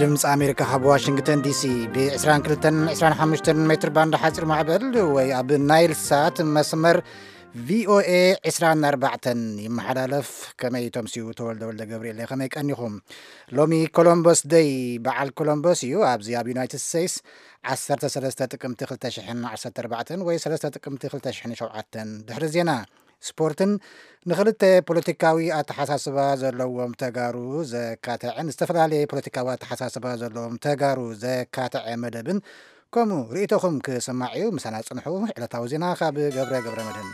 ድምፂ ኣሜሪካ ካብ ዋሽንግተን ዲሲ ብ22 25 ሜትር ባንድ ሓፂር ማዕበል ወይ ኣብ ናይል ሳት መስመር ቪኦኤ 24 ይመሓላለፍ። ከመይ ተምስዩ? ተወልደ ወልደ ገብርኤል። ከመይ ቀኒኹም? ሎሚ ኮሎምበስ ደይ፣ በዓል ኮሎምበስ እዩ። ኣብዚ ኣብ ዩናይትድ ስቴትስ 13 ጥቅምቲ 2014 ወይ 3 ጥቅምቲ 2007። ድሕሪ ዜና ስፖርትን ንክልተ ፖለቲካዊ ኣተሓሳስባ ዘለዎም ተጋሩ ዘካተዐን ዝተፈላለየ ፖለቲካዊ ኣተሓሳስባ ዘለዎም ተጋሩ ዘካተዐ መደብን ከምኡ ርእይቶኹም ክስማዕ እዩ። ምሳና ጽንሑ። ዕለታዊ ዜና ካብ ገብረ ገብረ መድህን።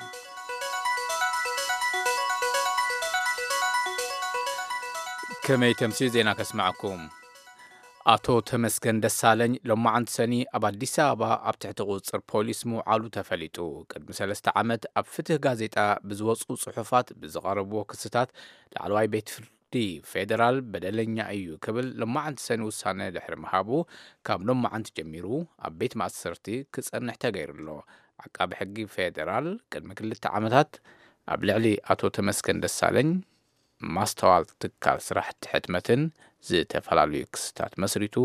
ከመይ ተምስዩ ዜና ከስማዕኩም? ኣቶ ተመስገን ደሳለኝ ሎማዓንቲ ሰኒ ኣብ ኣዲስ ኣበባ ኣብ ትሕቲ ቁፅፅር ፖሊስ ምውዓሉ ተፈሊጡ። ቅድሚ ሰለስተ ዓመት ኣብ ፍትህ ጋዜጣ ብዝወፁ ፅሑፋት ብዝቐረብዎ ክስታት ላዕለዋይ ቤት ፍርዲ ፌዴራል በደለኛ እዩ ክብል ሎማዓንቲ ሰኒ ውሳነ ድሕሪ ምሃቡ ካብ ሎማዓንቲ ጀሚሩ ኣብ ቤት ማእሰርቲ ክፀንሕ ተገይሩ ኣሎ። ዓቃቢ ሕጊ ፌዴራል ቅድሚ ክልተ ዓመታት ኣብ ልዕሊ ኣቶ ተመስገን ደሳለኝ ማስተዋል ትካል ስራሕቲ ሕትመትን ዝተፈላለዩ ክስታት መስሪቱ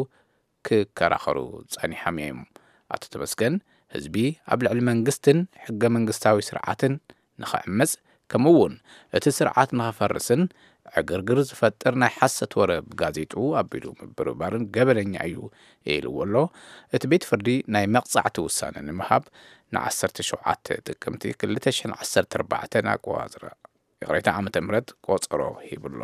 ክከራኸሩ ጸኒሖም እዮም። ኣቶ ተመስገን ህዝቢ ኣብ ልዕሊ መንግስትን ሕገ መንግስታዊ ስርዓትን ንኽዕምጽ ከምኡ እውን እቲ ስርዓት ንኽፈርስን ዕግርግር ዝፈጥር ናይ ሓሰት ወረ ብጋዜጡ ኣቢሉ ምብርባርን ገበነኛ እዩ ኢልዎ ኣሎ። እቲ ቤት ፍርዲ ናይ መቕጻዕቲ ውሳነ ንምሃብ ን17 ጥቅምቲ 2014 ኣቆጻጽራ ይቕሬታ ዓመተ ምህረት ቆጸሮ ሂብሎ።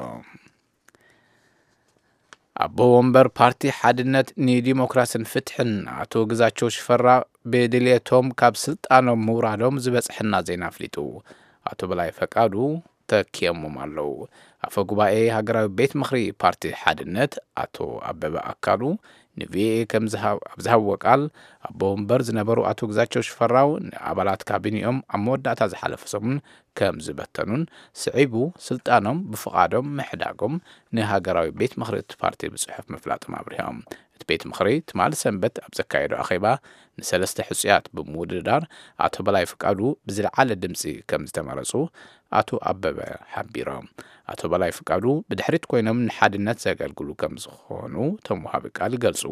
ኣቦ ወንበር ፓርቲ ሓድነት ንዲሞክራስን ፍትሕን ኣቶ ግዛቸው ሽፈራ ብድልየቶም ካብ ስልጣኖም ምውራዶም ዝበጽሐና ዜና ኣፍሊጡ። ኣቶ በላይ ፈቃዱ ተኪኦሞም ኣለዉ። ኣፈ ጉባኤ ሃገራዊ ቤት ምኽሪ ፓርቲ ሓድነት ኣቶ ኣበበ ኣካሉ ንቪኦኤ ከም ዝሃብ-፣ ኣብ ዝሃብዎ ቃል ኣቦ ወንበር ዝነበሩ ኣቶ ግዛቸው ሽፈራው ንኣባላት ካቢኔኦም ኣብ መወዳእታ ዝሓለፈ ሰሙን ከም ዝበተኑን ስዒቡ ስልጣኖም ብፍቓዶም ምሕዳጎም ንሃገራዊ ቤት ምኽሪ እቲ ፓርቲ ብጽሑፍ ምፍላጦም ኣብሪሆም። እቲ ቤት ምኽሪ ትማሊ ሰንበት ኣብ ዘካየዶ ኣኼባ ንሰለስተ ሕጹያት ብምውድዳር ኣቶ በላይ ፍቃዱ ብዝለዓለ ድምጺ ከም ዝተመረጹ ኣቶ ኣበበ ሓቢሮም። ኣቶ በላይ ፍቃዱ ብድሕሪት ኮይኖም ንሓድነት ዘገልግሉ ከም ዝኾኑ እቶም ወሃቢ ቃል ይገልጹ።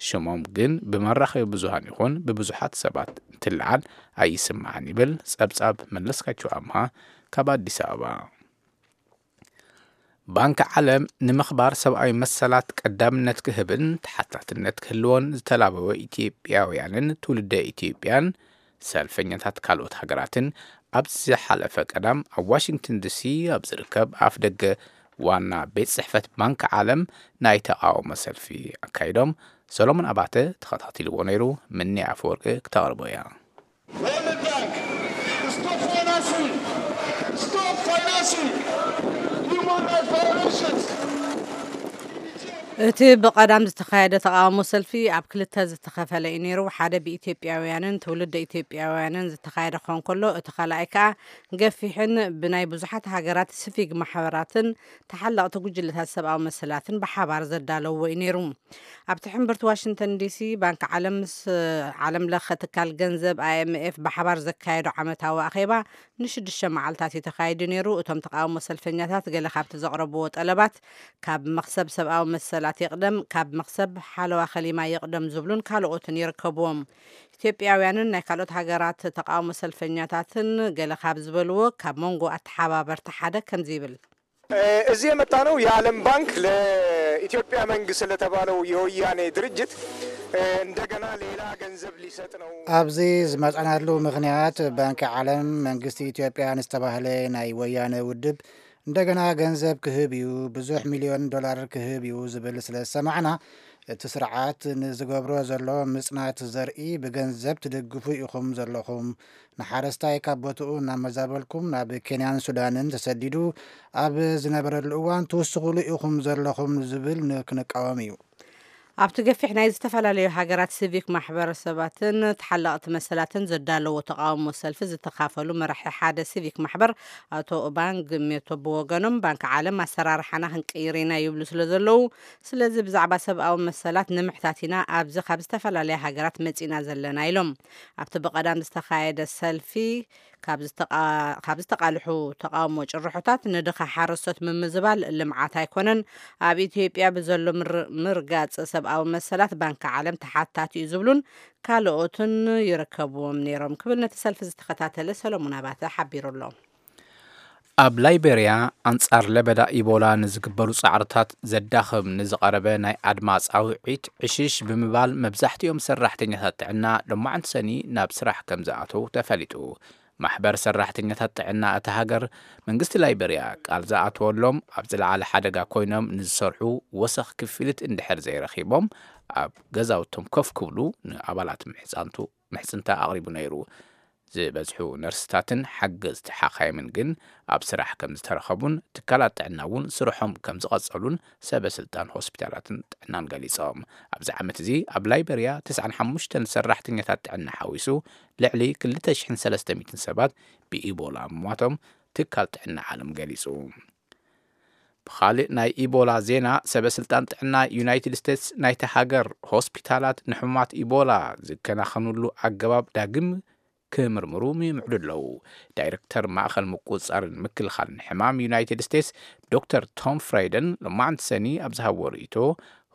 ሽሞም ግን ብመራኸቢ ብዙሃን ይኹን ብብዙሓት ሰባት እንትለዓል ኣይስማዕን ይብል ጸብጻብ መለስካቸው ኣምሃ ካብ ኣዲስ ኣበባ። ባንኪ ዓለም ንምኽባር ሰብኣዊ መሰላት ቀዳምነት ክህብን ተሓታትነት ክህልዎን ዝተላበወ ኢትዮጵያውያንን ትውልደ ኢትዮጵያን ሰልፈኛታት ካልኦት ሃገራትን ኣብ ዝሓለፈ ቀዳም ኣብ ዋሽንግተን ዲሲ ኣብ ዝርከብ ኣፍ ደገ ዋና ቤት ጽሕፈት ባንኪ ዓለም ናይ ተቓውሞ ሰልፊ ኣካይዶም። ሰሎሞን ኣባተ ተኸታቲልዎ ነይሩ። ምኒ ኣፈወርቂ ክተቕርቦ እያ። World Bank, stop financing! Stop financing human rights violations! እቲ ብቐዳም ዝተኻየደ ተቓውሞ ሰልፊ ኣብ ክልተ ዝተኸፈለ እዩ ነይሩ። ሓደ ብኢትዮጵያውያንን ትውልደ ኢትዮጵያውያንን ዝተኻየደ ክኸውን ከሎ፣ እቲ ካልኣይ ከኣ ገፊሕን ብናይ ብዙሓት ሃገራት ሲቪክ ማሕበራትን ተሓለቕቲ ጉጅለታት ሰብኣዊ መሰላትን ብሓባር ዘዳለውዎ እዩ ነይሩ። ኣብቲ ሕምብርቲ ዋሽንግተን ዲሲ ባንኪ ዓለም ምስ ዓለም ለኸ ትካል ገንዘብ ኣይኤምኤፍ ብሓባር ዘካየዶ ዓመታዊ ኣኼባ ንሽዱሽተ መዓልታት እዩ ተኻይዱ ነይሩ። እቶም ተቓውሞ ሰልፈኛታት ገለ ካብቲ ዘቕረብዎ ጠለባት ካብ መኽሰብ ሰብኣዊ መሰላት ይቕደም፣ ካብ መኽሰብ ሓለዋ ከሊማ ይቕደም ዝብሉን ካልኦትን ይርከብዎም። ኢትዮጵያውያንን ናይ ካልኦት ሃገራት ተቓውሞ ሰልፈኛታትን ገለ ካብ ዝበልዎ ካብ መንጎ ኣተሓባበርቲ ሓደ ከምዚ ይብል። እ፣ እዚህ የመጣነው የዓለም ባንክ ለኢትዮጵያ መንግስት ለተባለው የወያኔ ድርጅት፣ እ፣ እንደገና ሌላ ገንዘብ ሊሰጥ ነው። ኣብዚ ዝመጻናሉ ምኽንያት ባንኪ ዓለም መንግስቲ ኢትዮጵያ ንዝተባህለ ናይ ወያነ ውድብ እንደገና ገንዘብ ክህብ እዩ፣ ብዙሕ ሚልዮን ዶላር ክህብ እዩ ዝብል ስለ ዝሰማዕና፣ እቲ ስርዓት ንዝገብሮ ዘሎ ምጽናት ዘርኢ ብገንዘብ ትድግፉ ኢኹም ዘለኹም፣ ንሓረስታይ ካብ ቦትኡ እናመዛበልኩም ናብ ኬንያን ሱዳንን ተሰዲዱ ኣብ ዝነበረሉ እዋን ትውስኹሉ ኢኹም ዘለኹም ዝብል ን-፣ ክንቃወም እዩ። ኣብቲ ገፊሕ ናይ ዝተፈላለዩ ሃገራት ሲቪክ ማሕበረሰባትን ተሓለቕቲ መሰላትን ዘዳለዎ ተቓውሞ ሰልፊ ዝተኻፈሉ መራሒ ሓደ ሲቪክ ማሕበር ኣቶ ኦባንግ ሜቶ ብወገኖም፣ ባንኪ ዓለም ኣሰራርሓና ክንቅይር ኢና ይብሉ ስለ ዘለዉ፣ ስለዚ ብዛዕባ ሰብኣዊ መሰላት ንምሕታት ኢና ኣብዚ ካብ ዝተፈላለያ ሃገራት መጺና ዘለና ኢሎም። ኣብቲ ብቐዳም ዝተኻየደ ሰልፊ ካብ ዝተቓ- ካብ ዝተቓልሑ ተቓውሞ ጭርሖታት ንድኻ ሓረስቶት ምምዝባል ልምዓት ኣይኮነን፣ ኣብ ኢትዮጵያ ብዘሎ ምር- ምርጋጽ ሰብኣዊ መሰላት ባንኪ ዓለም ተሓታቲ እዩ ዝብሉን ካልኦትን ይርከብዎም ነይሮም ክብል ነቲ ሰልፊ ዝተኸታተለ ሰሎሞን ኣባተ ሓቢሩ ኣሎ። ኣብ ላይቤርያ ኣንጻር ለበዳ ኢቦላ ንዝግበሩ ጻዕርታት ዘዳኽም ንዝቐረበ ናይ ኣድማ ጻውዒት ዕሽሽ ብምባል መብዛሕትኦም ሰራሕተኛታት ጥዕና ሎማዕንቲ ሰኒ ናብ ስራሕ ከም ዝኣተው ተፈሊጡ። ማሕበር ሰራሕተኛታት ጥዕና እታ ሃገር መንግስቲ ላይቤርያ ቃል ዝኣተወሎም ኣብ ዝለዓለ ሓደጋ ኮይኖም ንዝሰርሑ ወሰኽ ክፍሊት እንድሕር ዘይረኺቦም ኣብ ገዛውቶም ኮፍ ክብሉ ንኣባላት ምሕጻንቱ ምሕጽንታ ኣቕሪቡ ነይሩ። ዝበዝሑ ነርስታትን ሓገዝቲ ሓኻይምን ግን ኣብ ስራሕ ከም ዝተረኸቡን ትካላት ጥዕና እውን ስርሖም ከም ዝቐጸሉን ሰበ ስልጣን ሆስፒታላትን ጥዕናን ገሊጾም። ኣብዚ ዓመት እዚ ኣብ ላይበርያ ተስዓን ሓሙሽተን ሰራሕተኛታት ጥዕና ሓዊሱ ልዕሊ ክልተ ሽሕን ሰለስተ ሚእትን ሰባት ብኢቦላ ምሟቶም ትካል ጥዕና ዓለም ገሊጹ። ብኻልእ ናይ ኢቦላ ዜና፣ ሰበ ስልጣን ጥዕና ዩናይትድ ስቴትስ ናይቲ ሃገር ሆስፒታላት ንሕሙማት ኢቦላ ዝከናኸኑሉ ኣገባብ ዳግም ክምርምሩ ይምዕዱ ኣለዉ። ዳይረክተር ማእኸል ምቁፅፃርን ምክልኻልን ሕማም ዩናይትድ ስቴትስ ዶክተር ቶም ፍራይደን ሎማዕንቲ ሰኒ ኣብ ዝሃብዎ ርእይቶ፣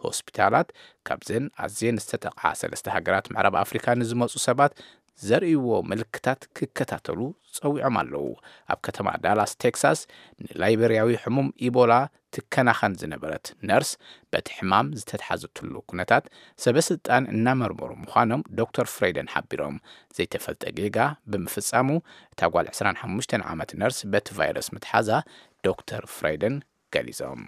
ሆስፒታላት ካብዘን ኣዝየን ዝተጠቕዓ ሰለስተ ሃገራት ምዕራብ ኣፍሪካ ንዝመፁ ሰባት ዘርእይዎ ምልክታት ክከታተሉ ጸዊዖም ኣለዉ። ኣብ ከተማ ዳላስ ቴክሳስ ንላይቤርያዊ ሕሙም ኢቦላ ትከናኸን ዝነበረት ነርስ በቲ ሕማም ዝተትሓዘትሉ ኩነታት ሰበ ስልጣን እናመርመሩ ምዃኖም ዶክተር ፍሬደን ሓቢሮም። ዘይተፈልጠ ጌጋ ብምፍጻሙ እታ ጓል ዕስራን ሓሙሽተን ዓመት ነርስ በቲ ቫይረስ ምትሓዛ ዶክተር ፍሬደን ገሊጾም።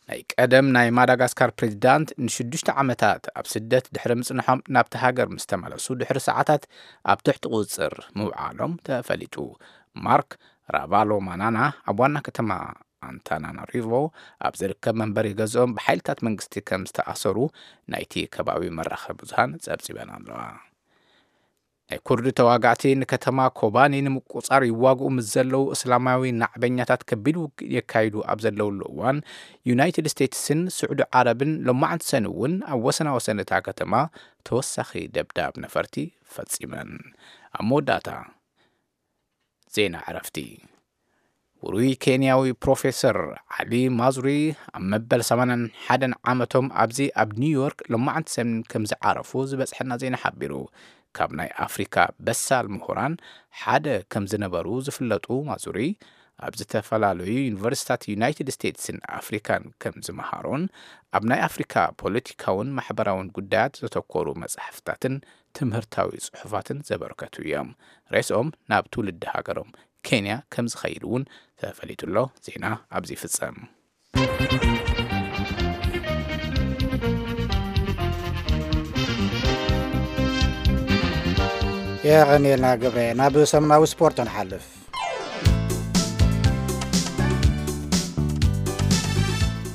ናይ ቀደም ናይ ማዳጋስካር ፕሬዚዳንት ንሽዱሽተ ዓመታት ኣብ ስደት ድሕሪ ምጽንሖም ናብቲ ሃገር ምስ ተመለሱ ድሕሪ ሰዓታት ኣብ ትሕቲ ቁጽጽር ምውዓሎም ተፈሊጡ። ማርክ ራቫሎ ማናና ኣብ ዋና ከተማ ኣንታናናሪቮ ኣብ ዝርከብ መንበሪ ገዝኦም ብሓይልታት መንግስቲ ከም ዝተኣሰሩ ናይቲ ከባቢ መራኸቢ ብዙሃን ጸብጺበን ኣለዋ። ናይ ኩርዲ ተዋጋእቲ ንከተማ ኮባኒ ንምቁጻር ይዋግኡ ምስ ዘለዉ እስላማዊ ናዕበኛታት ከቢድ ውግእ የካይዱ ኣብ ዘለውሉ እዋን፣ ዩናይትድ ስቴትስን ስዑዲ ዓረብን ሎማዕንቲ ሰኒ እውን ኣብ ወሰናወሰን እታ ከተማ ተወሳኺ ደብዳብ ነፈርቲ ፈጺመን። ኣብ መወዳእታ ዜና ዕረፍቲ። ውሩይ ኬንያዊ ፕሮፌሰር ዓሊ ማዙሪ ኣብ መበል ሰማንያን ሓደን ዓመቶም ኣብዚ ኣብ ኒውዮርክ ሎማዕንቲ ሰኒ ከም ዝዓረፉ ዝበጽሐና ዜና ሓቢሩ። ካብ ናይ ኣፍሪካ በሳል ምሁራን ሓደ ከም ዝነበሩ ዝፍለጡ ማዙሪ፣ ኣብ ዝተፈላለዩ ዩኒቨርሲታት ዩናይትድ ስቴትስን ኣፍሪካን ከም ዝመሃሩን ኣብ ናይ ኣፍሪካ ፖለቲካውን ማሕበራውን ጉዳያት ዘተኮሩ መጻሕፍታትን ትምህርታዊ ጽሑፋትን ዘበርከቱ እዮም። ሬስኦም ናብ ትውልዲ ሃገሮም ኬንያ ከም ዝኸይድ እውን ተፈሊጡ ኣሎ። ዜና ኣብዚ ይፍጸም። የቐንየልና ገብረ። ናብ ሰሙናዊ ስፖርት ንሓልፍ።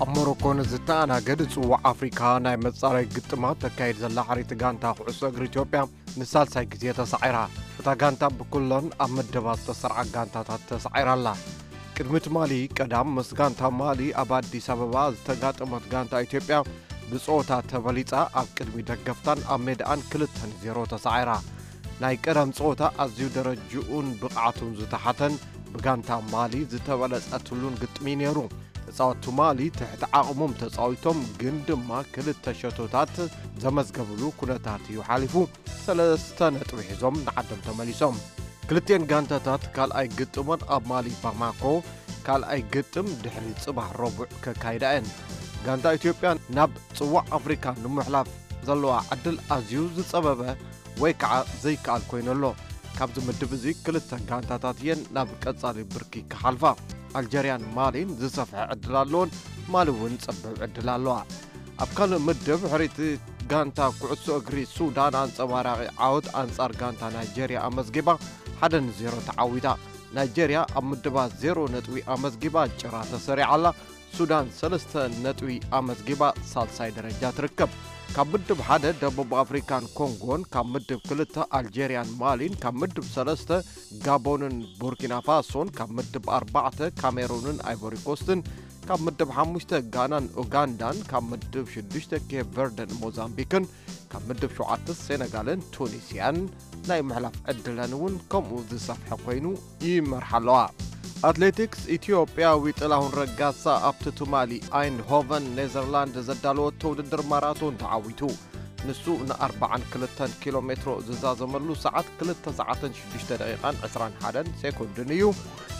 ኣብ ሞሮኮ ንዝተኣናገድ ጽዋዕ ኣፍሪካ ናይ መጻረይ ግጥማት ተካይድ ዘላ ሓሪት ጋንታ ኩዕሶ እግሪ ኢትዮጵያ ንሳልሳይ ግዜ ተሳዒራ። እታ ጋንታ ብኩለን ኣብ ምድባት ዝተሰርዓ ጋንታታት ተሳዒራ ኣላ። ቅድሚ ትማሊ ቀዳም ምስ ጋንታ ማሊ ኣብ ኣዲስ ኣበባ ዝተጋጠመት ጋንታ ኢትዮጵያ ብጸወታ ተበሊጻ ኣብ ቅድሚ ደገፍታን ኣብ ሜዳኣን ክልተ ንዜሮ ተሳዒራ። ናይ ቀዳም ጸወታ ኣዝዩ ደረጅኡን ብቕዓቱን ዝተሓተን ብጋንታ ማሊ ዝተበለጸትሉን ግጥሚ ነይሩ። ተጻወትቲ ማሊ ትሕቲ ዓቕሞም ተጻዊቶም ግን ድማ ክልተ ሸቶታት ዘመዝገብሉ ኩነታት እዩ ሓሊፉ። ሰለስተ ነጥቢ ሒዞም ንዓዶም ተመሊሶም። ክልቲኤን ጋንታታት ካልኣይ ግጥሞን ኣብ ማሊ ባማኮ ካልኣይ ግጥም ድሕሪ ጽባሕ ረቡዕ ከካይዳ እየን። ጋንታ ኢትዮጵያ ናብ ጽዋዕ ኣፍሪካ ንምሕላፍ ዘለዋ ዕድል ኣዝዩ ዝጸበበ ወይ ከዓ ዘይከኣል ኮይኑ ኣሎ። ካብዚ ምድብ እዚ ክልተ ጋንታታት እየን ናብ ቀጻሊ ብርኪ ክሓልፋ። ኣልጀርያን ማሊን ዝሰፍሐ ዕድል ኣለዎን፣ ማሊ እውን ጸብብ ዕድል ኣለዋ። ኣብ ካልእ ምድብ ሕሪት ጋንታ ኩዕሶ እግሪ ሱዳን ኣንጸባራቒ ዓወት ኣንጻር ጋንታ ናይጄርያ ኣመዝጊባ ሓደ ንዜሮ ተዓዊታ። ናይጄርያ ኣብ ምድባ ዜሮ ነጥቢ ኣመዝጊባ ጭራ ተሰሪዓ ኣላ። ሱዳን ሰለስተ ነጥቢ ኣመዝጊባ ሳልሳይ ደረጃ ትርከብ። ካብ ምድብ ሓደ ደቡብ ኣፍሪካን ኮንጎን፣ ካብ ምድብ ክልተ ኣልጄርያን ማሊን፣ ካብ ምድብ ሰለስተ ጋቦንን ቡርኪና ፋሶን፣ ካብ ምድብ ኣርባዕተ ካሜሩንን ኣይቮሪ ኮስትን፣ ካብ ምድብ ሓሙሽተ ጋናን ኡጋንዳን፣ ካብ ምድብ ሽዱሽተ ኬፕ ቨርደን ሞዛምቢክን፣ ካብ ምድብ ሸውዓተ ሴነጋልን ቱኒስያን ናይ ምሕላፍ ዕድለን እውን ከምኡ ዝሰፍሐ ኮይኑ ይመርሓ ኣለዋ። ኣትሌቲክስ፣ ኢትዮጵያዊ ጥላሁን ረጋሳ ኣብቲ ትማሊ ኣይንድሆቨን ኔዘርላንድ ዘዳለወቶ ውድድር ማራቶን ተዓዊቱ። ንሱ ን ኣርባዓን ክልተን ኪሎ ሜትሮ ዝዛዘመሉ ሰዓት ክልተ ሰዓትን ሽዱሽተ ደቂቓን ዕስራን ሓደን ሴኮንድን እዩ።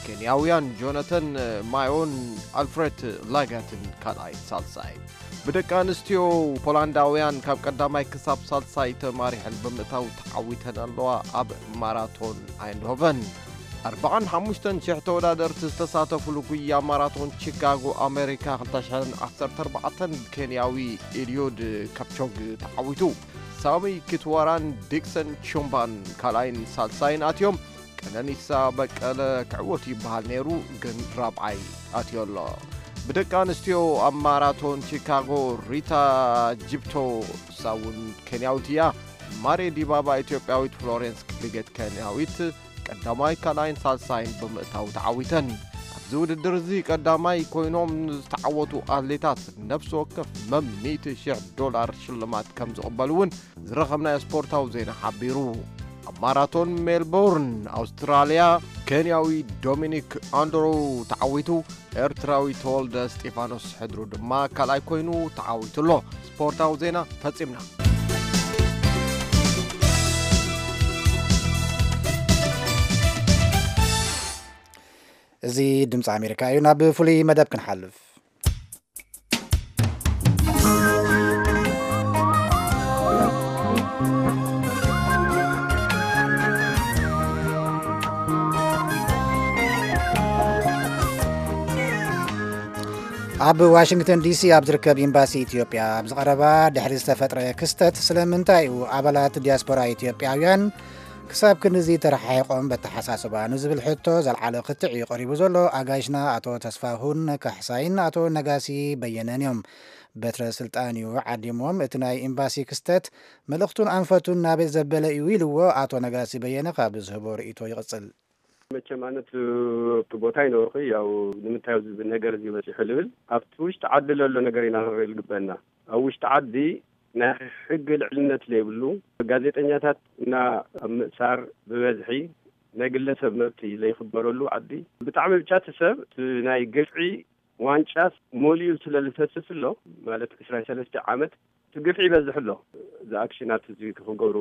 ኬንያውያን ጆነተን ማዮን ኣልፍሬት ላጋትን ካልኣይ ሳልሳይ። ብደቂ ኣንስትዮ ፖላንዳውያን ካብ ቀዳማይ ክሳብ ሳልሳይ ተማሪሐን ብምእታው ተዓዊተን ኣለዋ። ኣብ ማራቶን ኣይንድሆቨን ኣርባዓን ሓሙሽተን ሽሕ ተወዳደርቲ ዝተሳተፉሉ ጉያ ማራቶን ቺካጎ ኣሜሪካ ክልተ ሽሕን ዓሰርተ ኣርባዕተን ኬንያዊ ኤልዮድ ካፕቾግ ተዓዊቱ። ሳሚ ኪትዋራን ዲክሰን ቹምባን ካልኣይን ሳልሳይን ኣትዮም። ቀነኒሳ በቀለ ክዕወት ይበሃል ነይሩ፣ ግን ራብዓይ ኣትዮ ኣሎ። ብደቂ ኣንስትዮ ኣብ ማራቶን ቺካጎ ሪታ ጂፕቶ፣ እሳ እውን ኬንያዊት እያ። ማሬ ዲባባ ኢትዮጵያዊት፣ ፍሎሬንስ ክፕሊጌት ኬንያዊት ቀዳማይ፣ ካልኣይን ሳልሳይን ብምእታው ተዓዊተን። ኣብዚ ውድድር እዚ ቀዳማይ ኮይኖም ዝተዓወቱ ኣትሌታት ነፍሲ ወከፍ መም ሚእቲ ሽሕ ዶላር ሽልማት ከም ዝቕበሉ እውን ዝረኸብናዮ ስፖርታዊ ዜና ሓቢሩ። ኣብ ማራቶን ሜልቦርን ኣውስትራልያ፣ ኬንያዊ ዶሚኒክ ኣንድሮ ተዓዊቱ። ኤርትራዊ ተወልደ እስጢፋኖስ ሕድሩ ድማ ካልኣይ ኮይኑ ተዓዊቱ ኣሎ። ስፖርታዊ ዜና ፈጺምና። እዚ ድምፂ ኣሜሪካ እዩ። ናብ ፍሉይ መደብ ክንሓልፍ። ኣብ ዋሽንግተን ዲሲ ኣብ ዝርከብ ኤምባሲ ኢትዮጵያ ኣብ ዝቐረባ ድሕሪ ዝተፈጥረ ክስተት፣ ስለምንታይ እዩ ኣባላት ዲያስፖራ ኢትዮጵያውያን ክሳብ ክንድዚ ተረሓሒቖም በተሓሳስባ ንዝብል ሕቶ ዘልዓለ ክትዕ እዩ ቀሪቡ ዘሎ። ኣጋይሽና ኣቶ ተስፋሁን ካሕሳይን ኣቶ ነጋሲ በየነን እዮም። በትረ ስልጣን እዩ ዓዲሞም። እቲ ናይ ኤምባሲ ክስተት መልእኽቱን ኣንፈቱን ናበይ ዘበለ እዩ ኢልዎ ኣቶ ነጋሲ በየነ ካብ ዝህቦ ርእይቶ ይቕጽል። መቸም ኣነ እቲ ኣብቲ ቦታ ይነበርኩ፣ ያው ንምንታይ ኣብዚ ነገር እዚ በፂሑ ልብል፣ ኣብቲ ውሽጢ ዓዲ ለሎ ነገር ኢና ክንርኢ ዝግበአና። ኣብ ውሽጢ ዓዲ ናይ ሕጊ ልዕልነት ለይብሉ፣ ጋዜጠኛታት እና ኣብ ምእሳር ብበዝሒ፣ ናይ ግለሰብ መብቲ ዘይኽበረሉ ዓዲ፣ ብጣዕሚ ብቻ እቲ ሰብ እቲ ናይ ግፍዒ ዋንጫ ሞሊኡ ስለ ዝፈስስ ኣሎ፣ ማለት ዕስራን ሰለስተ ዓመት እቲ ግፍዒ ይበዝሕ ኣሎ። እዚ ኣክሽናት እዚ ክገብሩ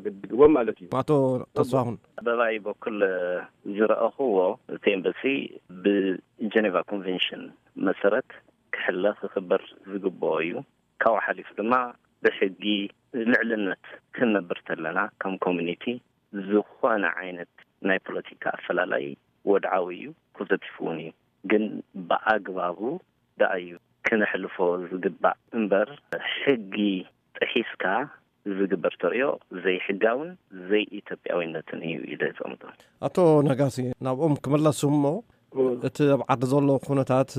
ግድግዎም ማለት እዩ። ኣቶ ተስፋሁን። በባይ በኩል ዝረኣኹዎ እቲ ኤምባሲ ብጀኔቫ ኮንቬንሽን መሰረት ክሕለ ክኽበር ዝግብኦ እዩ። ካብኡ ሓሊፉ ድማ ብሕጊ ልዕልነት ክንነብር ተለና ከም ኮሚኒቲ ዝኾነ ዓይነት ናይ ፖለቲካ ኣፈላላይ ወድዓዊ እዩ፣ ፖዘቲቭ እውን እዩ። ግን ብኣግባቡ ደኣ እዩ ክነሕልፎ ዝግባእ እምበር፣ ሕጊ ጥሒስካ ዝግበር ተርእዮ ዘይሕጋውን ዘይኢትዮጵያዊነትን እዩ ኢለ ዝቕምጦ። ኣቶ ነጋሲ፣ ናብኦም ክምለስ እሞ፣ እቲ ኣብ ዓዲ ዘሎ ኩነታት፣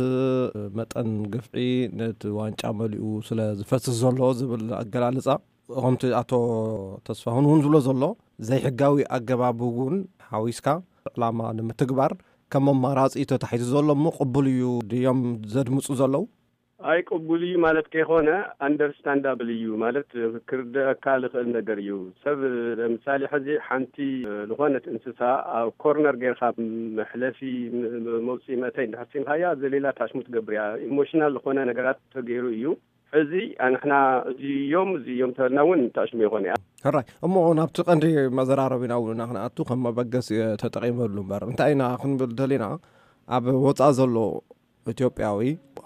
መጠን ግፍዒ ነቲ ዋንጫ መሊኡ ስለ ዝፈስስ ዘሎ ዝብል ኣገላልጻ፣ ከምቲ ኣቶ ተስፋሁን እውን ዝብሎ ዘሎ፣ ዘይሕጋዊ ኣገባብ እውን ሓዊስካ ዕላማ ንምትግባር ከም ኣማራጺ ተታሒዙ ዘሎ እሞ ቅቡል እዩ ድዮም ዘድምጹ ዘለዉ? ኣይ ቅቡል እዩ ማለት ከይኮነ፣ ኣንደርስታንዳብል እዩ ማለት፣ ክርደኣካ ዝኽእል ነገር እዩ። ሰብ ለምሳሌ ሕዚ ሓንቲ ዝኾነት እንስሳ ኣብ ኮርነር ጌርካ መሕለፊ ም-፣ ም-፣ መውፅኢ መእተይ እንድሕር ሲንካያ፣ ዘሌላ ታሽሙ ትገብር እያ። ኢሞሽናል ዝኾነ ነገራት ተገይሩ እዩ። ሕዚ ኣንሕና እዚዮም እዚዮም ተበልና እውን ታሽሙ ይኾን እያ። ሕራይ እሞ፣ ናብቲ ቀንዲ መዘራረቢና እውን ኢና ክንኣቱ፣ ከም መበገሲ ተጠቒመሉ እምበር፣ እንታይ ኢና ክንብል ደሊና፣ ኣብ ወፃእ ዘሎ ኢትዮጵያዊ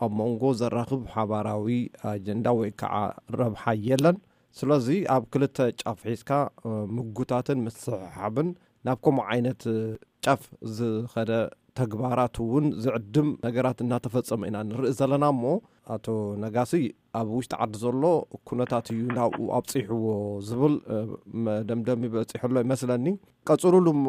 ኣብ መንጎ ዘራኽብ ሓባራዊ ኣጀንዳ ወይ ከዓ ረብሓ የለን። ስለዚ ኣብ ክልተ ጫፍ ሒዝካ፣ እ፣ ምጉታትን ምስሕሓብን ናብ ከምኡ ዓይነት፣ እ፣ ጫፍ ዝኸደ ተግባራት እውን ዝዕድም ነገራት እናተፈጸመ ኢና ንርኢ ዘለና እሞ፣ ኣቶ ነጋሲ፣ ኣብ ውሽጢ ዓዲ ዘሎ ኩነታት እዩ ናብኡ ኣብጺሕዎ ዝብል፣ እ፣ መደምደሚ በጺሑ ኣሎ ይመስለኒ። ቀጽሉሉ እሞ፣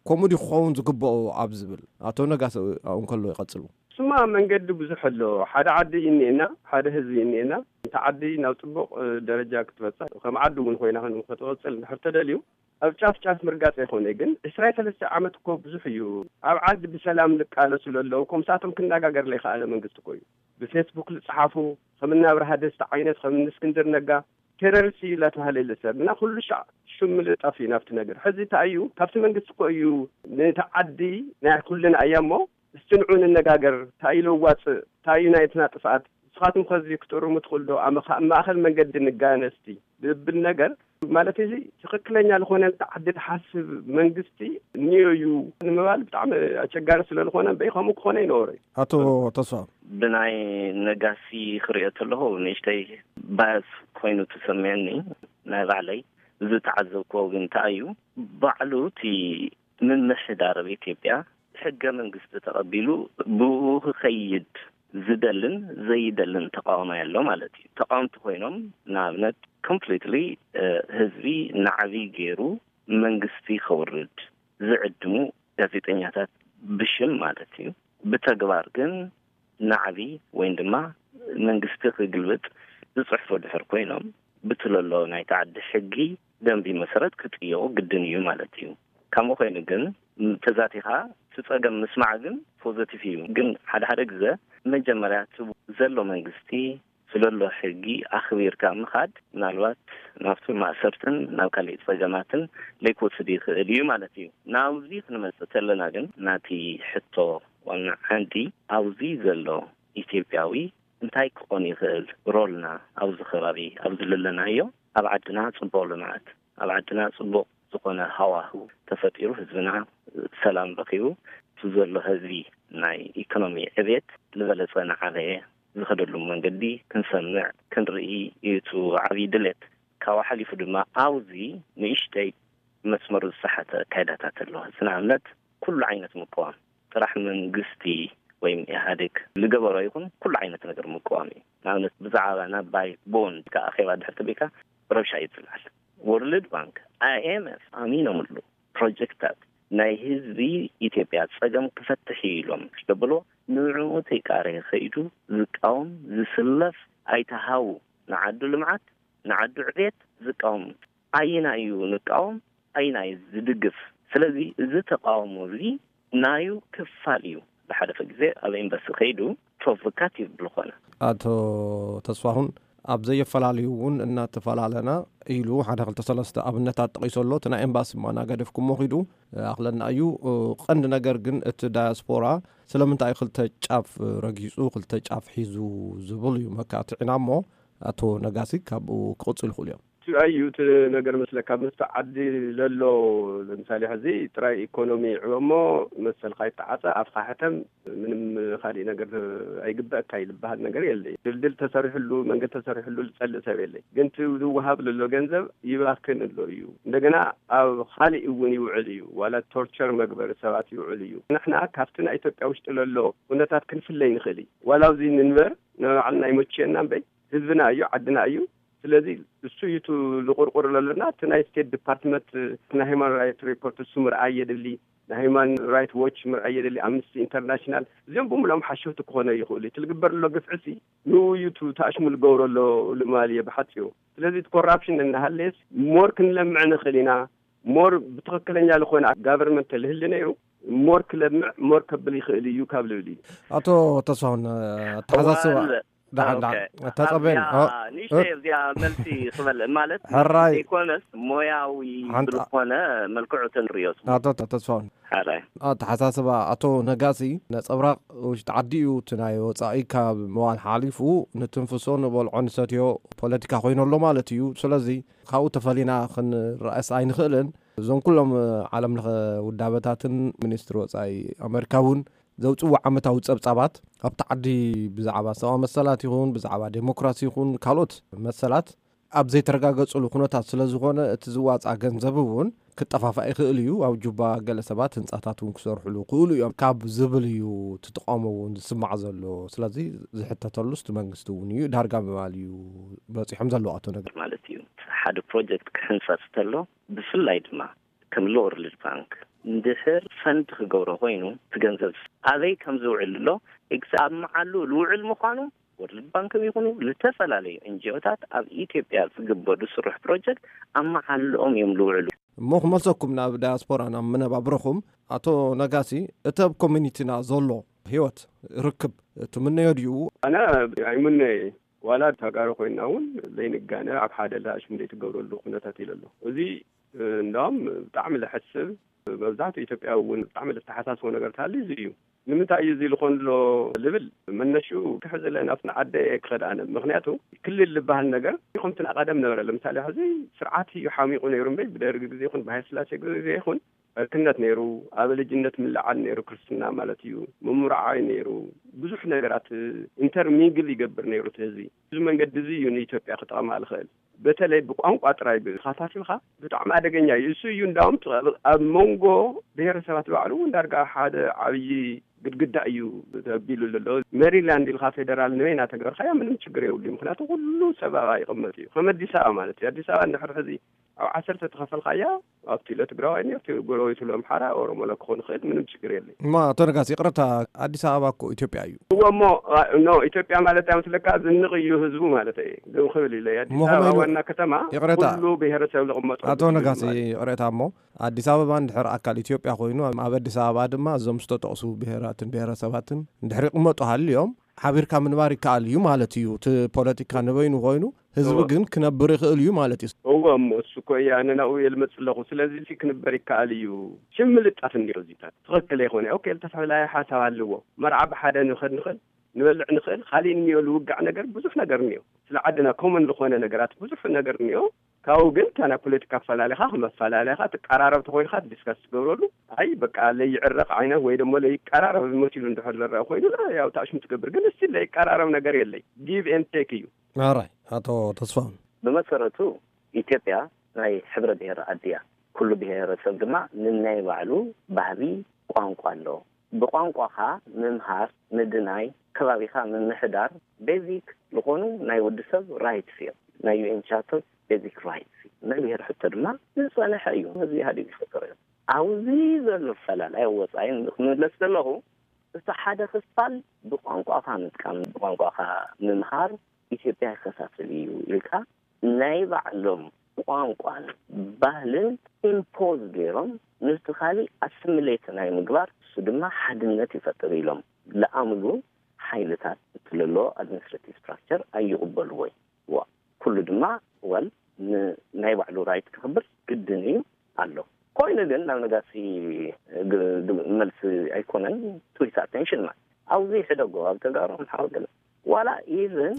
ከምኡ ድዩ ክኸውን ዝግብኦ ኣብ ዝብል፣ ኣቶ ነጋሲ ኣብኡ እንከሎ ይቐጽሉ። እሱማ መንገዲ ብዙሕ ኣሎ። ሓደ ዓዲ እዩ እኒኤና፣ ሓደ ህዝቢ እዩ እኒኤና። እታ ዓዲ ናብ ጽቡቕ፣ እ፣ ደረጃ ክትበጽሕ፣ ከም ዓዲ እውን ኮይና ክን-፣ ክትቕጽል እንድሕር ተደልዩ፣ ኣብ ጫፍ ጫፍ ምርጋጽ ኣይኮነ፣ ግን ዕስራ ሰለስተ ዓመት እኮ ብዙሕ እዩ። ኣብ ዓዲ ብሰላም ልቃለሱ ለለዉ እኮ፣ ምሳቶም ክነጋገር ለይከኣለ መንግስቲ እኮ እዩ። ብፌስቡክ ልጽሓፉ፣ ከም እናብርሃ ደስታ ዓይነት፣ ከም እስክንድር ነጋ ቴሮሪስት እዩ እናተባህለ ይልሰብ እና ኩሉ ሻዕ ሽም ምልጣፍ እዩ ናብቲ ነገር። ሕዚ እንታይ እዩ? ካብቲ መንግስቲ እኮ እዩ ነቲ ዓዲ ናይ ኩልና እያ እሞ፣ እስቲ ንዑ ንነጋገር፣ እንታይ እዩ ለዋፅእ፣ እንታይ እዩ ናይትና ጥፍኣት፣ ንስኻትኩም ከዚ ክትእርሙ ትኽእሉ ዶ? ኣብ መኻ-፣ ኣብ ማእኸል መንገዲ ንጋነስቲ ዝብል ነገር ማለት እዚ ትኽክለኛ ዝኾነ ዓዲ ትሓስብ መንግስቲ እኒኦ እዩ ንምባል ብጣዕሚ ኣቸጋሪ ስለ ዝኾነ እምበይ ከምኡ ክኾነ ይነበሮ እዩ። ኣቶ ተስፋ። ብናይ ነጋሲ ክሪኦ ተለኹ ንእሽተይ ባያስ ኮይኑ ተሰሚዕኒ ናይ ባዕለይ። ዝተዓዘብክዎ ግን እንታይ እዩ፣ ባዕሉ እቲ ምምሕዳር ኣብ ኢትዮጵያ ሕገ መንግስቲ ተቐቢሉ ብኡ ክኸይድ ዝደልን ዘይደልን ተቃዋማይ ኣሎ ማለት እዩ። ተቃወምቲ ኮይኖም ንኣብነት ኮምፕሊትሊ ህዝቢ ናዕቢ ገይሩ መንግስቲ ከውርድ ዝዕድሙ ጋዜጠኛታት ብሽም ማለት እዩ። ብተግባር ግን ናዕቢ ወይም ድማ መንግስቲ ክግልብጥ ዝፅሕፉ ድሕር ኮይኖም ብትለሎ ናይ ተዓዲ ሕጊ ደንቢ መሰረት ክጥየቁ ግድን እዩ ማለት እዩ። ከምኡ ኮይኑ ግን ተዛቲኻ እቲ ፀገም ምስማዕ ግን ፖዘቲቭ እዩ። ግን ሓደ ሓደ ግዘ መጀመርያ እቲ ዘሎ መንግስቲ ስለሎ ሕጊ ኣኽቢርካ ምኻድ ምናልባት ናብቲ ማእሰርትን ናብ ካሊእ ፀገማትን ለይክወስድ ይኽእል እዩ ማለት እዩ። ናብዚ ክንመፅእ ተለና ግን ናቲ ሕቶ ዋና ዓንዲ ኣብዚ ዘሎ ኢትዮጵያዊ እንታይ ክኾን ይኽእል ሮልና ኣብዚ ከባቢ ኣብዚ ዘለናዮ ኣብ ዓድና ፅቡቕ ልምዓት ኣብ ዓድና ፅቡቕ ዝኾነ ሃዋህው ተፈጢሩ ህዝብና ሰላም ረኺቡ እቲ ዘሎ ህዝቢ ናይ ኢኮኖሚ ዕቤት ዝበለፀ ናዓበየ ዝኸደሉ መንገዲ ክንሰምዕ ክንርኢ እዩ እቲ ዓብዪ ድሌት። ካብኡ ሓሊፉ ድማ ኣብዚ ንእሽተይ መስመሩ ዝሰሓተ ኣካይዳታት ኣሎ። ንኣብነት ኩሉ ዓይነት ምቅዋም ጥራሕ መንግስቲ ወይም ኢህኣዴግ ዝገበሮ ይኹን ኩሉ ዓይነት ነገር ምቅዋም እዩ። ንኣብነት ብዛዕባ ናባይ ቦንድ ከኣኼባ ድሕር ተቢካ ረብሻ እዩ ዝለዓል። ወርልድ ባንክ፣ ኣይኤምኤፍ ኣሚኖምሉ ፕሮጀክታት ናይ ህዝቢ ኢትዮጵያ ፀገም ክፈትሕ እዩ ኢሎም ደብሎ ንዕኡ ተይቃረ ከይዱ ዝቃወም ዝስለፍ ኣይተሃው ንዓዱ ልምዓት ንዓዱ ዕቤት ዝቃወም ኣይና እዩ ንቃወም ኣይና እዩ ዝድግፍ። ስለዚ እዚ ተቃውሞ እዚ ናዩ ክፋል እዩ። ብሓደፈ ግዜ ኣብ ኤምባሲ ከይዱ ፕሮቮካቲቭ ዝኾነ ኣቶ ተስፋሁን ኣብ ዘየፈላለዩ እውን እናተፈላለና ኢሉ ሓደ ክልተ ሰለስተ ኣብነታት ጠቒሶ ኣሎ። እቲ ናይ ኤምባሲ ማናገደፍኩሞ ኺዱ ኣኽለና እዩ። ቀንዲ ነገር ግን እቲ ዳያስፖራ ስለምንታይ ክልተ ጫፍ ረጊጹ ክልተ ጫፍ ሒዙ ዝብል እዩ መካትዕና እሞ ኣቶ ነጋሲ ካብኡ ክቕጽሉ ይኽእሉ እዮም። እቲ ኣዩ እቲ ነገር መስለካ ምስቲ ዓዲ ለሎ ለምሳሌ ሕዚ ጥራይ ኢኮኖሚ ይዕበ እሞ መሰልካ ይተዓፀ ኣፍካ ሕተም ምንም ካሊእ ነገር ኣይግበአካ ይልበሃል ነገር የለ። ድልድል ተሰሪሕሉ መንገድ ተሰሪሕሉ ዝፀልእ ሰብ የለ። ግን እቲ ዝወሃብ ለሎ ገንዘብ ይባክን ኣሎ እዩ። እንደገና ኣብ ካሊእ እውን ይውዕል እዩ። ዋላ ቶርቸር መግበሪ ሰባት ይውዕል እዩ። ንሕና ካብቲ ናይ ኢትዮጵያ ውሽጢ ለሎ ኩነታት ክንፍለይ ንኽእል እዩ። ዋላ ኣብዚ ንንበር ንባዕልና ይመችየና እምበይ ህዝብና እዩ ዓድና እዩ። ስለዚ እሱ እዩ እቲ ዝቁርቁር ዘለና። እቲ ናይ ስቴት ዲፓርትመንት ናይ ሂማን ራይት ሪፖርት እሱ ምርኣይ የድሊ፣ ናይ ሂማን ራይት ዎች ምርኣይ የድሊ፣ ኣምነስቲ ኢንተርናሽናል እዚኦም ብምሎም ሓሸውቲ ክኾነ ይኽእሉ። እቲ ዝግበር ዘሎ ግፍዕሲ ንኡ እዩ እቲ ተኣሽሙ ዝገብሮ ኣሎ ልማል እየ ብሓፂሩ። ስለዚ እቲ ኮራፕሽን እናሃለየስ ሞር ክንለምዕ ንኽእል ኢና። ሞር ብትኽክለኛ ዝኾነ ጋቨርንመንት ተልህሊ ነይሩ ሞር ክለምዕ ሞር ከብል ይኽእል እዩ ካብ ልብል እዩ። ኣቶ ተስፋሁን ኣተሓሳስባ ዳሓን ዳሓን ተፀበን ንእሽተይ እዚኣ መልሲ ክበል ማለት ሕራይ ዘይኮነስ ሞያዊ ዝኾነ መልክዑ ተንርዮ። ኣቶ ተስፋሁን ኣተሓሳስባ ኣቶ ነጋሲ ነፀብራቕ ውሽጢ ዓዲ እዩ። እቲ ናይ ወፃኢ ካብ ምባል ሓሊፉ ንትንፍሶ ንበልዖ ንሰትዮ ፖለቲካ ኮይኑ ኣሎ ማለት እዩ። ስለዚ ካብኡ ተፈሊና ክንረኣስ ኣይንኽእልን። እዞም ኩሎም ዓለም ለኸ ውዳበታትን ሚኒስትሪ ወፃኢ ኣመሪካ እውን ዘውፅዎ ዓመታዊ ፀብፃባት ኣብቲ ዓዲ ብዛዕባ ሰብኣዊ መሰላት ይኹን ብዛዕባ ዴሞክራሲ ይኹን ካልኦት መሰላት ኣብ ዘይተረጋገፅሉ ኩነታት ስለ ዝኾነ እቲ ዝዋፃ ገንዘብ እውን ክጠፋፋእ ይኽእል እዩ። ኣብ ጁባ ገለ ሰባት ህንፃታት እውን ክሰርሕሉ ክእሉ እዮም ካብ ዝብል እዩ እቲ ተቃውሞ እውን ዝስማዕ ዘሎ። ስለዚ ዝሕተተሉ እቲ መንግስቲ እውን እዩ ዳርጋ ምባል እዩ በፂሖም ዘለዉ ኣቶ ነገር። ማለት እዩ ሓደ ፕሮጀክት ክሕንፀፅ ተሎ ብፍላይ ድማ ከም ሎወርልድ ባንክ እንድሕር ፈንድ ክገብሮ ኮይኑ እቲ ገንዘብ ኣበይ ከም ዝውዕል ኣሎ ኤግዛም መዓሉ ዝውዕል ምዃኑ ወርልድ ባንክ ይኹኑ ዝተፈላለዩ ኤንጂኦታት ኣብ ኢትዮጵያ ዝግበሩ ዝስርሑ ፕሮጀክት ኣብ መዓልኦም እዮም ዝውዕሉ። እሞ ክመልሰኩም ናብ ዳያስፖራ ናብ መነባብሮኹም፣ ኣቶ ነጋሲ፣ እቲ ኣብ ኮሚኒቲና ዘሎ ህይወት ርክብ ትምነዮ ድዩ? ኣነ ኣይምነየ። ዋላ ተጋሩ ኮይና እውን ዘይንጋነ ኣብ ሓደ ለኣሽም ዘይትገብረሉ ኩነታት ኢለ ኣለኹ። እዚ እንዳውም ብጣዕሚ ለሐስብ፣ መብዛሕትኡ ኢትዮጵያ እውን ብጣዕሚ ለተሓሳስቦ ነገር ተሃልዩ እዚ እዩ። ንምንታይ እዩ እዚ ዝኾን ኣሎ ልብል መነሽኡ ክሕዝለ ናብቲ ንዓደ ክኸድ ኣነ። ምኽንያቱ ክልል ዝበሃል ነገር ከምቲ ናቐደም ነበረ። ለምሳሌ ሕዚ ስርዓት እዩ ሓሚቑ ነይሩ እምበይ ብደርግ ግዜ ይኹን ብሃይለ ስላሴ ግዜ ይኹን ዕርክነት ነይሩ፣ ኣብ ልጅነት ምልዓል ነይሩ፣ ክርስትና ማለት እዩ፣ ምምርዓይ ነይሩ፣ ብዙሕ ነገራት ኢንተርሚንግል ይገብር ነይሩ እቲ ህዝቢ። እዚ መንገዲ እዚ እዩ ንኢትዮጵያ ክጠቕማ ዝኽእል። በተለይ ብቋንቋ ጥራይ ብኻታቲልካ ብጣዕሚ ኣደገኛ እዩ። እሱ እዩ እንዳውም ኣብ መንጎ ብሔረሰባት ባዕሉ እውን ዳርጋ ሓደ ዓብዪ ግድግዳ እዩ ተቢሉ ዘሎ። ሜሪላንድ ኢልካ ፌደራል ንበይና ተገርካያ ምንም ችግር የብሉ። ምክንያቱ ኩሉ ሰባባ ይቕመጥ እዩ። ከም ኣዲስ ኣበባ ማለት እዩ። ኣዲስ ኣበባ እንድሕር ሕዚ ኣብ ዓሰርተ ተኸፈልካያ ኣብቲ ኢለ ትግራዋይ ነርቲ ጎረቤቱ ለምሓራ ኦሮሞ ለክኾን ይኽእል ምንም ችግር የለይ። እማ ኣቶ ነጋሲ፣ ይቕረታ፣ ኣዲስ ኣበባ እኮ ኢትዮጵያ እዩ። እዎ እሞ፣ ኖ ኢትዮጵያ ማለት ኣይመስለካ ዝንቕ እዩ ህዝቡ ማለት እየ። ዝም ክብል ኢለ ኣዲስ እሞ ኣበባ ከመይ ኢሉ ዋና ከተማ ይቕረታ፣ ኩሉ ብሔረሰብ ዝቕመጠሉ ኣቶ ህዝቢ ነጋሲ፣ ማለት እዩ። ይቕረታ እሞ ኣዲስ ኣበባ እንድሕር ኣካል ኢትዮጵያ ኮይኑ ኣብ ኣዲስ ኣበባ ድማ እዞም ዝተጠቕሱ ብሔራትን ብሔረሰባትን እንድሕር ይቕመጡ ሃልዮም ሓቢርካ ምንባር ይከኣል እዩ ማለት እዩ። እቲ ፖለቲካ ንበይኑ ኮይኑ ህዝቢ እወ። ግን ክነብር ይኽእል እዩ ማለት እዩ። እወ እሞ እሱ እኮ እየ ኣነ ናብኡ እየ ልመጽእ ኣለኹ። ስለዚ እዚ ክንበር ይከኣል እዩ። ሽም ምልጣፍ እንዲዮ እዚታት ትኽክል ኣይኮነ። ኦኬ፣ ዝተፈላለየ ሓሳብ ኣለዎ። መርዓ ብሓደ ንኸድ ንኽእል፣ ንበልዕ ንኽእል፣ ካሊእ እንዮ ልውጋዕ ነገር ብዙሕ ነገር እንዮ። ስለ ዓድና ኮመን ዝኾነ ነገራት ብዙሕ ነገር እንዮ። ካብኡ ግን እታ ናይ ፖለቲካ ኣፈላለኻ ክመፈላለኻ ትቀራረብ ተኾይንካ ዲስካስ ትገብረሉ። ኣይ በቃ ለይዕረቕ ዓይነት ወይ ደሞ ለይቀራረብ መሲሉ እንድሕር ዝረአ ኮይኑ ያው ታሽሙ ትገብር። ግን እስቲ ለይቀራረብ ነገር የለይ። ጊቭ ኤንድ ቴክ እዩ። ኣራይ ኣቶ ተስፋሁን። ብመሰረቱ ኢትዮጵያ ናይ ሕብረ ብሔር ዓዲ እያ። ኩሉ ብሔረሰብ ድማ ንናይ ባዕሉ ባህሊ፣ ቋንቋ ኣለዎ። ብቋንቋኻ ምምሃር፣ ምድናይ፣ ከባቢኻ ምምሕዳር ቤዚክ ዝኾኑ ናይ ወዲ ሰብ ራይትስ እዮም። ናይ ዩ ኤን ቻርተር ቤዚክ ራይትስ እዩ። ናይ ብሔር ሕቶ ድማ ዝጸንሐ እዩ። ህዝቢ ኢህኣዴግ ዝፈጠሮ እዮም። ኣብዚ ዘሎ ፈላላይ ወጻኢ ክምለስ ዘለኹ እቲ ሓደ ክፋል ብቋንቋኻ ምጥቃም፣ ብቋንቋኻ ምምሃር ኢትዮጵያ ይከፋፍል እዩ ኢልካ ናይ ባዕሎም ቋንቋን ባህልን ኢምፖዝ ገይሮም ነቲ ካሊእ ኣስሚሌት ናይ ምግባር እሱ ድማ ሓድነት ይፈጥር ኢሎም ለኣምሉ ሓይልታት እቲ ለሎ ኣድሚኒስትሬቲቭ ስትራክቸር ኣይቕበልዎ እዩ። ዋ ኩሉ ድማ ወል ን- ናይ ባዕሉ ራይት ክኽብር ግድን እዩ ኣሎ። ኮይኑ ግን ናብ ነጋሲ ግ- ግ- መልሲ ኣይኮነን ትዊት ኣቴንሽን ማለት ኣብዚ ሕደጎ ኣብ ተጋሩ ኣምሓሩ ገለ ዋላ ኢቭን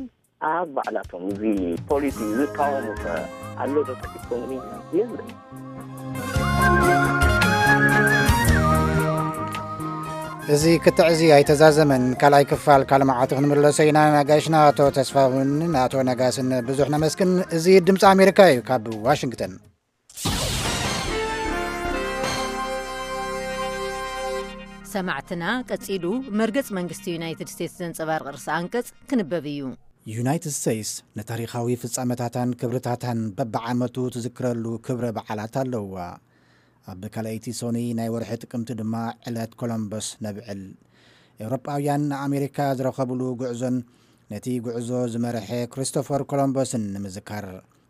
ኣብ ባዕላቶም እዚ ፖሊሲ ዝቃወሙ ከ ኣሎ ዶ ኢኮኖሚ የለን። እዚ ክትዕ እዚ ኣይተዛዘመን። ካልኣይ ክፋል ካልእ መዓልቲ ክንምለሶ ኢና። ነጋሽና ኣቶ ተስፋሁን ንኣቶ ነጋስን ብዙሕ ነመስግን። እዚ ድምፂ ኣሜሪካ እዩ ካብ ዋሽንግተን። ሰማዕትና፣ ቀጺሉ መርገጽ መንግስቲ ዩናይትድ ስቴትስ ዘንጸባርቕ ርእሰ ኣንቀጽ ክንበብ እዩ። ዩናይትድ ስቴትስ ንታሪኻዊ ፍጻመታታን ክብርታታን በብዓመቱ ትዝክረሉ ክብረ በዓላት ኣለዋ። ኣብ ካልኣይቲ ሶኒ ናይ ወርሒ ጥቅምቲ ድማ ዕለት ኮሎምበስ ነብዕል። ኤውሮጳውያን ንኣሜሪካ ዝረኸብሉ ጉዕዞን ነቲ ጉዕዞ ዝመርሐ ክሪስቶፈር ኮሎምበስን ንምዝካር።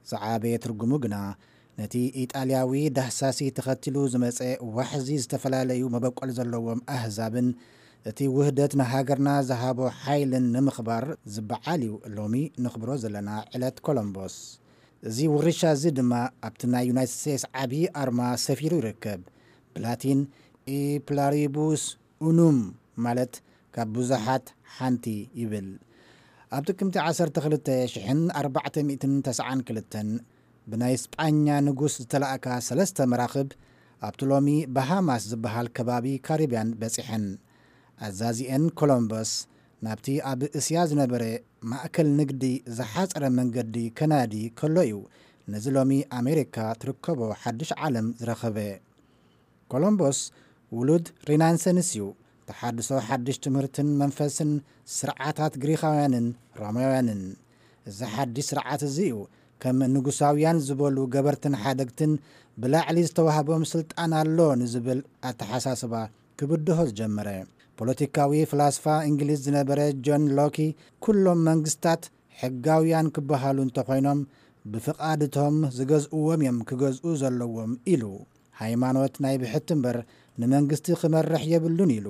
ዝዓበየ ትርጉሙ ግና ነቲ ኢጣልያዊ ዳህሳሲ ተኸቲሉ ዝመጸ ዋሕዚ ዝተፈላለዩ መበቆል ዘለዎም ኣህዛብን እቲ ውህደት ንሃገርና ዝሃቦ ሓይልን ንምኽባር ዝበዓል እዩ። ሎሚ ነኽብሮ ዘለና ዕለት ኮሎምቦስ። እዚ ውርሻ እዚ ድማ ኣብቲ ናይ ዩናይትድ ስቴትስ ዓቢ ኣርማ ሰፊሩ ይርከብ። ብላቲን ኢ ፕላሪቡስ ኡኑም ማለት ካብ ብዙሓት ሓንቲ ይብል። ኣብ ጥቅምቲ ዓሰርተ ክልተ ሽሕን ኣርባዕተ ሚእትን ተስዓን ክልተን ብናይ ስጳኛ ንጉስ ዝተላእካ ሰለስተ መራኽብ ኣብቲ ሎሚ ባሃማስ ዝበሃል ከባቢ ካሪብያን በጺሐን። ኣዛዚኤን ኮሎምበስ ናብቲ ኣብ እስያ ዝነበረ ማእከል ንግዲ ዝሓጸረ መንገዲ ከናዲ ከሎ እዩ ነዚ ሎሚ ኣሜሪካ ትርከቦ ሓድሽ ዓለም ዝረኸበ። ኮሎምቦስ ውሉድ ሪናንሰንስ እዩ። ተሓድሶ ሓድሽ ትምህርትን መንፈስን ስርዓታት ግሪኻውያንን ሮማውያንን። እዚ ሓድሽ ስርዓት እዚ እዩ ከም ንጉሳውያን ዝበሉ ገበርትን ሓደግትን ብላዕሊ ዝተዋህቦም ስልጣን ኣሎ ንዝብል ኣተሓሳስባ ክብድሆ ዝጀመረ። ፖለቲካዊ ፍላስፋ እንግሊዝ ዝነበረ ጆን ሎኪ ኩሎም መንግስታት ሕጋውያን ክበሃሉ እንተኾይኖም ብፍቓድ እቶም ዝገዝእዎም እዮም ክገዝኡ ዘለዎም ኢሉ። ሃይማኖት ናይ ብሕቲ እምበር ንመንግስቲ ክመርሕ የብሉን ኢሉ።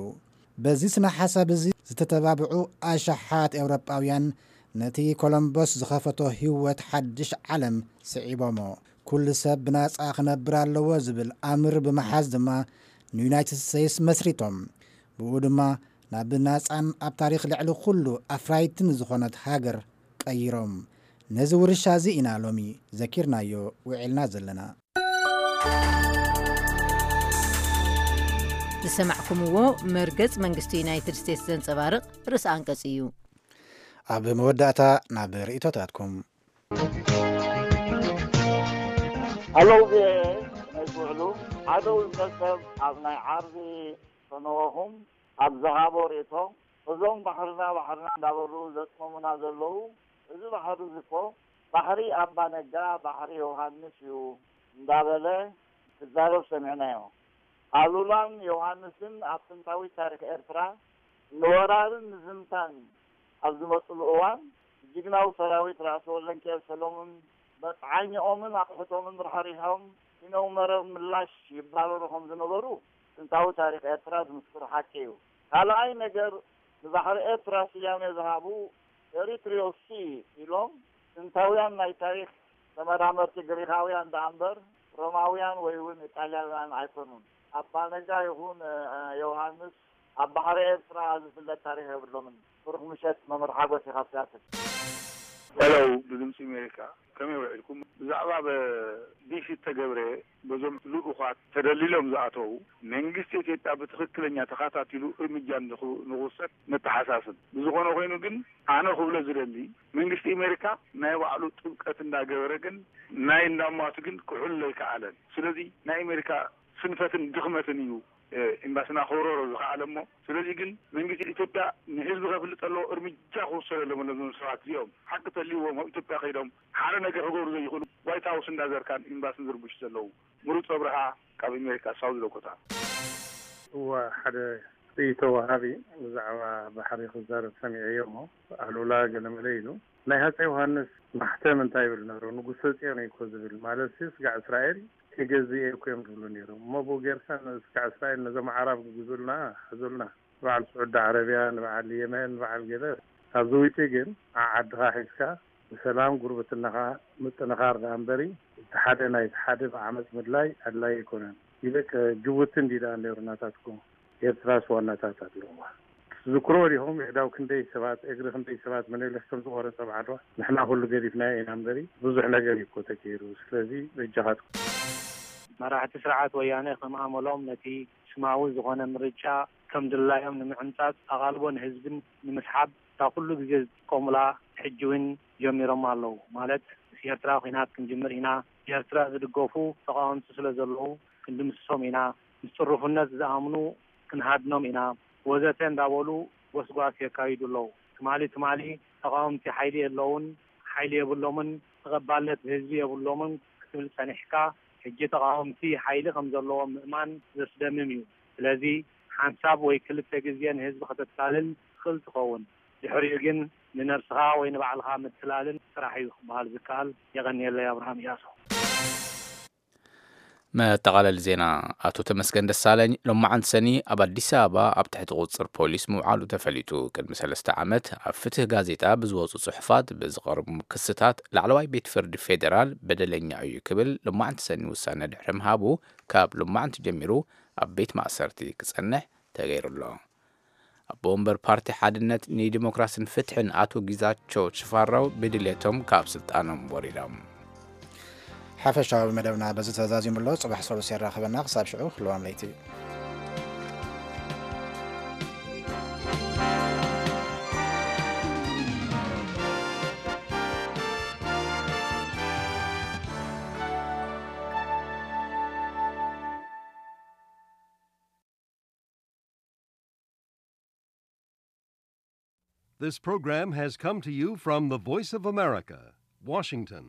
በዚ ስነ ሓሳብ እዚ ዝተተባብዑ ኣሽሓት ኤውሮጳውያን ነቲ ኮሎምቦስ ዝኸፈቶ ህይወት ሓድሽ ዓለም ስዒቦሞ። ኩሉ ሰብ ብናጻ ክነብር ኣለዎ ዝብል ኣምር ብምሓዝ ድማ ንዩናይትድ ስቴትስ መስሪቶም። ብኡ ድማ ናብ ናጻን ኣብ ታሪኽ ልዕሊ ኩሉ ኣፍራይትን ዝኾነት ሃገር ቀይሮም። ነዚ ውርሻ እዚ ኢና ሎሚ ዘኪርናዮ ውዒልና ዘለና። ዝሰማዕኩምዎ መርገጽ መንግስቲ ዩናይትድ ስቴትስ ዘንጸባርቕ ርእሲ ኣንቀጽ እዩ። ኣብ መወዳእታ ናብ ርእይቶታትኩም። ኣለዉ ዜ ናይ ዝውዕሉ ሓደ ውልቀ ሰብ ኣብ ናይ ዓርቢ ፈነወኹም ኣብ ዝሃቦ ርእቶ፣ እዞም ባሕርና ባሕርና እንዳበሉ ዘጽመሙና ዘለዉ፣ እዚ ባሕሪ እዚ እኮ ባሕሪ ኣባ ነጋ፣ ባሕሪ ዮሃንስ እዩ እንዳበለ ክዛረብ ሰሚዕናዮ። ኣሉላን ዮሃንስን ኣብ ጥንታዊ ታሪኽ ኤርትራ ንወራርን ንዝምታን ኣብ ዝመጽሉ እዋን፣ ጅግናዊ ሰራዊት ራእሲ ወለንኬል ሰሎሙን መጽዓኛኦምን ኣቕሑቶምን ራሕሪሖም፣ ሲነው መረብ ምላሽ ይባረሩ ከም ዝነበሩ ጥንታዊ ታሪኽ ኤርትራ ዝምስክሮ ሓቂ እዩ። ካልኣይ ነገር፣ ንባሕሪ ኤርትራ ስያሜ ዝሃቡ ኤሪትሪዮ ሲ ኢሎም ጥንታውያን ናይ ታሪኽ ተመራመርቲ ግሪኻውያን ደኣ እምበር ሮማውያን ወይ እውን ኢጣልያውያን ኣይኮኑን። ኣባ ነጋ ይኹን ዮሃንስ ኣብ ባሕሪ ኤርትራ ዝፍለጥ ታሪኽ የብሎምን። ብሩኽ ምሸት መምህር ሓጎስ ኢኻ ሲያትል። ሄሎ፣ ብድምፂ ኣሜሪካ ከመይ ውዒልኩም? ብዛዕባ በዲሲ እተገብረ በዞም ልኡኻት ተደሊሎም ዝኣተዉ መንግስቲ ኢትዮጵያ ብትኽክለኛ ተኸታቲሉ እርምጃ ንኽውሰድ ነተሓሳስብ። ብዝኾነ ኮይኑ ግን ኣነ ክብሎ ዝደሊ መንግስቲ ኣሜሪካ ናይ ባዕሉ ጥብቀት እንዳገበረ ግን ናይ እንዳማቱ ግን ክሕሉ ኣይከኣለን። ስለዚ ናይ ኣሜሪካ ስንፈትን ድኽመትን እዩ ኤምባስና ከውረሮ ዝኸኣለ እሞ ስለዚ ግን መንግስቲ ኢትዮጵያ ንህዝቢ ከፍልጥ ኣለዎ እርምጃ ክውሰድ ኣለዎ ነዞም ሰባት እዚኦም ሓቂ ተልይዎም ኣብ ኢትዮጵያ ከይዶም ሓደ ነገር ክገብሩ ዘይኽእሉ ዋይት ሃውስ እንዳዘርካን ኤምባስን ዝርብሹ ዘለዉ ምሩፅ ኣብርሃ ካብ ኣሜሪካ ሳውዝ ዳኮታ። እወ ሓደ ርእይቶ ወሃቢ ብዛዕባ ባሕሪ ክዛረብ ሰሚዐዮ እሞ ኣሉላ ገለመለ ኢሉ ናይ ሃፀይ ዮሃንስ ማሕተም እንታይ ይብል ነሩ ንጉሰ ፅዮን እኮ ዝብል ማለት ሲ ስጋዕ እስራኤል ክገዝእ እኮ እዮም ዝብሉ ነይሮም እሞ ብኡ ጌርካ ስጋዕ እስራኤል ነዞም ዓራብ ግዙልና ሕዙልና ንበዓል ስዑዲ ዓረብያ ንበዓል የመን ንበዓል ገለ ካብዚ ውጪ ግን ዓዓድኻ ሒዝካ ብሰላም ጉርብትናኻ ምጥንኻር ደኣ እምበሪ እቲ ሓደ ናይቲ ሓደ ብዓመፅ ምድላይ ኣድላይ ኣይኮነን ይልቅ ጅቡቲ እንዲ ደኣ ነይሩ ናታትኩም ኤርትራስ ዋናታት ኣለዋ ትዝክርዎ ዲኹም የሕዳው ክንደይ ሰባት እግሪ ክንደይ ሰባት መነሊኽ ከም ዝቆረፀ ኣብ ዓድዋ ንሕና ኩሉ ገዲፍናዮ ኢና እምበሪ ብዙሕ ነገር እዩ እኮ ተገይሩ ስለዚ በጃኻትኩም መራሕቲ ስርዓት ወያነ ከም ኣመሎም ነቲ ስማዊ ዝኾነ ምርጫ ከም ድላዮም ንምዕምጻጽ ኣቓልቦ ንህዝብን ንምስሓብ እታ ኩሉ ግዜ ዝጥቀሙላ ሕጂ እውን ጀሚሮማ ኣለዉ ማለት ምስ ኤርትራ ኲናት ክንጅምር ኢና ብኤርትራ ዝድገፉ ተቓወምቲ ስለ ዘለዉ ክንድምስሶም ኢና ምስ ጥሩፍነት ዝኣምኑ ክንሃድኖም ኢና ወዘተ እንዳበሉ ጎስጓስ የካይዱ ኣለዉ ትማሊ ትማሊ ተቓወምቲ ሓይሊ የለዉን ሓይሊ የብሎምን ተቐባልነት ብህዝቢ የብሎምን ክትብል ጸኒሕካ ሕጂ ተቓወምቲ ሓይሊ ከም ዘለዎም ምእማን ዘስደምም እዩ ስለዚ ሓንሳብ ወይ ክልተ ግዜ ንህዝቢ ከተታልል ትኽእል ትኸውን ድሕሪኡ ግን ንነብስኻ ወይ ንባዕልኻ ምትላልን ጥራሕ እዩ ክበሃል ዝከኣል የቐንየለይ ኣብርሃም እያሱ መጠቓለሊ ዜና ኣቶ ተመስገን ደሳለኝ ሎማዓንቲ ሰኒ ኣብ ኣዲስ ኣበባ ኣብ ትሕቲ ቁፅፅር ፖሊስ ምውዓሉ ተፈሊጡ። ቅድሚ ሰለስተ ዓመት ኣብ ፍትህ ጋዜጣ ብዝወፁ ፅሑፋት ብዝቐርቡ ክስታት ላዕለዋይ ቤት ፍርዲ ፌዴራል በደለኛ እዩ ክብል ሎማዓንቲ ሰኒ ውሳነ ድሕሪ ምሃቡ ካብ ሎማዓንቲ ጀሚሩ ኣብ ቤት ማእሰርቲ ክፀንሕ ተገይሩ ኣሎ። ኣቦ ወንበር ፓርቲ ሓድነት ንዲሞክራስን ፍትሕን ኣቶ ጊዛቸው ሽፋራው ብድሌቶም ካብ ስልጣኖም ወሪዶም። ሓፈሻዊ መደብና በዚ ተዛዚሙ ኣሎ። ጽባሕ ሰሉስ የራኽበና። ክሳብ ሽዑ ህልዋም ለይቲ። This program has come to you from the Voice of America, Washington.